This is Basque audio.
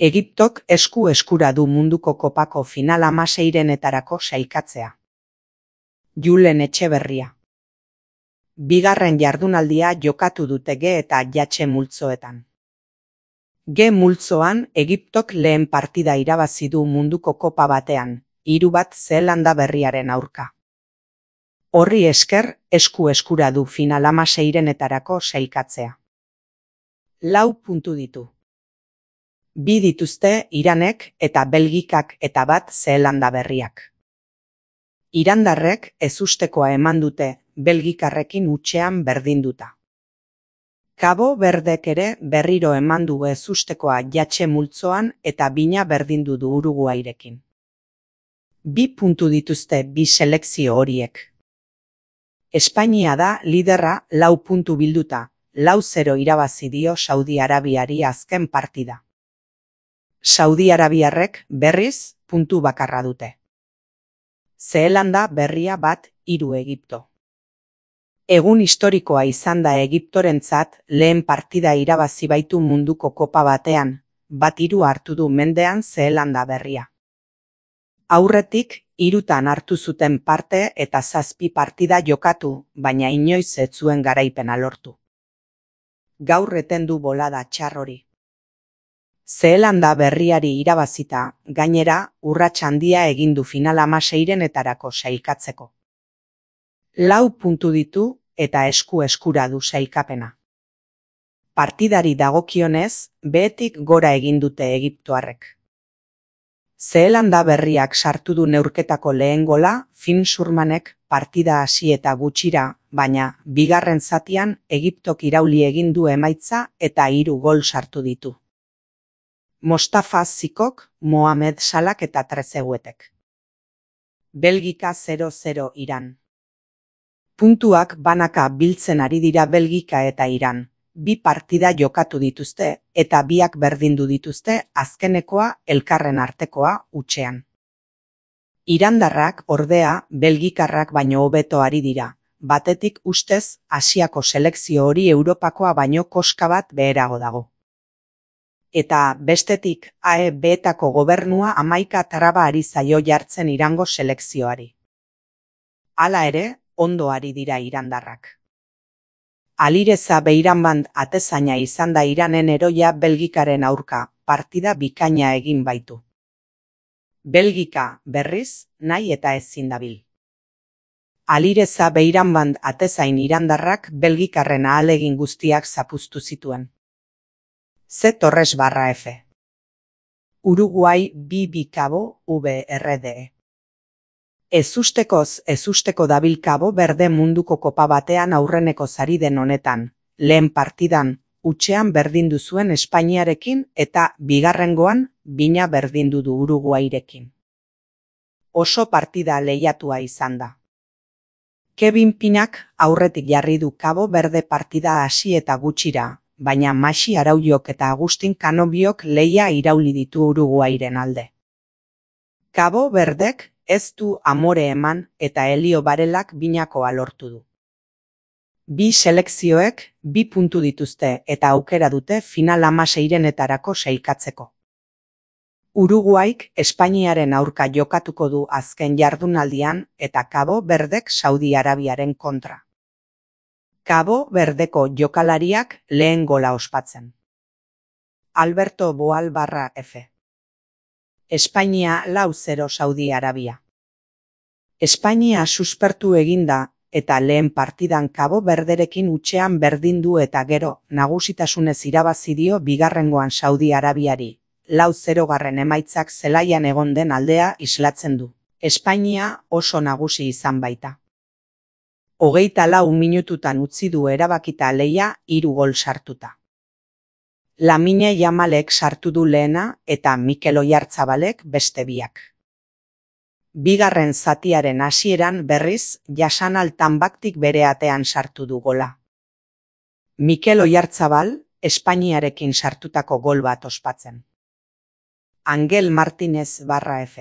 Egiptok eskura du munduko kopako final 16-renetarako sailkatzea. Julen Etxeberria. Bigarren jardunaldia jokatu dute G eta Jatxe multzoetan. G multzoan Egiptok lehen partida irabazi du munduko kopa batean, 3-1 Zeelanda Berriaren aurka. Horri esker eskura du final 16-renetarako sailkatzea. 4 puntu ditu. 2 dituzte Iranek eta Belgikak eta 1 Zeelanda Berriak. Irandarrek ezustekoa eman dute Belgikarrekin hutsean berdinduta. Kabo Berdek ere berriro eman du ezustekoa Jatxe multzoan eta bina berdindu du Uruguairekin. 2 puntu dituzte bi selekzio horiek. Espainia da liderra 4 puntu bilduta, 4-0 irabazi dio Saudi Arabiari azken partida. Saudi Arabiarrek berriz puntu bakarra dute. Zeelanda Berria 1-3 Egipto. Egun historikoa izan da Egiptorentzat lehen partida irabazi baitu munduko kopa batean, 1-3 hartu du mendean Zeelanda Berria. Aurretik 3 hartu zuten parte eta 7 partida jokatu, baina inoiz ez zuen garaipena lortu. Gaur etendu bolada txar hori. Zeelanda Berriari irabazita, gainera, urrats handia egin du final 16-renetarako sailkatzeko. 4 puntu ditu eta eskura du sailkapena. Partidari dagokionez, behetik gora egin dute egiptoarrek. Zeelanda Berriak sartu du neurketako lehen gola Finn Surmanek partida hasi eta gutxira, baina bigarren zatian Egiptok irauli egin du emaitza eta 3 gol sartu ditu. Mostafa Zikok, Mohamed Salak eta Trezeguetek. Belgika 0-0 Iran. Puntuak banaka biltzen ari dira Belgika eta Iran. 2 partida jokatu dituzte eta 2 berdindu dituzte azkenekoa elkarren artekoa hutsean. Irandarrak ordea Belgikarrak baino hobeto ari dira, batetik ustez Asiako selekzio hori Europakoa baino koska bat beherago dago. Eta bestetik AEB-etako gobernua 11 traba ari zaio jartzen Irango selekzioari. Hala ere, ondo ari dira irandarrak. Alireza Beiranband atezaina izan da Iranen heroia Belgikaren aurka, partida bikaina egin baitu. Belgika, berriz, nahi eta ezin dabil. Alireza Beiranband atezain irandarrak Belgikarren ahalegin guztiak zapuztu zituen. C. Torres/F. Uruguai 2-2 Cabo VRDE. Ezusteko dabil Kabo Berde munduko kopa batean aurreneko sari den honetan, lehen partidan, hutsean berdindu zuen Espainiarekin eta bigarrengoan bina berdindu du Uruguairekin. Oso partida lehiatua izan da. Kevin Pinak aurretik jarri du Kabo Berde partida hasi eta gutxira, baina Maxi Arauliok eta Agustin Canobiok lehia irauli ditu Uruguairen alde. Kabo Berdek ez du amore eman eta Elio Barelak binakoa lortu du. 2 selekzioek 2 puntu dituzte eta aukera dute final 16-renetarako sailkatzeko. Uruguaik Espainiaren aurka jokatuko du azken jardunaldian eta Kabo Berdek Saudi Arabiaren kontra. Kabo Berdeko jokalariak lehen gola ospatzen. Alberto Boal/F. Espainia 4-0 Saudi Arabia. Espainia suspertu eginda eta lehen partidan Kabo Berderekin hutsean berdindu eta gero nagusitasunez irabazi dio bigarrengoan Saudi Arabiari. 4-0 emaitzak zelaian egon den aldea islatzen du. Espainia oso nagusi izan baita. 24 minututan utzi du erabakita lehia 3 gol sartuta. Lamine Yamalek sartu du lehena eta Mikel Oyarzabalek beste 2. Bigarren zatiaren hasieran berriz Jasan Altanbaktik bere atean sartu du gola. Mikel Oyarzabal Espainiarekin sartutako gol bat ospatzen. Angel Martinez/F.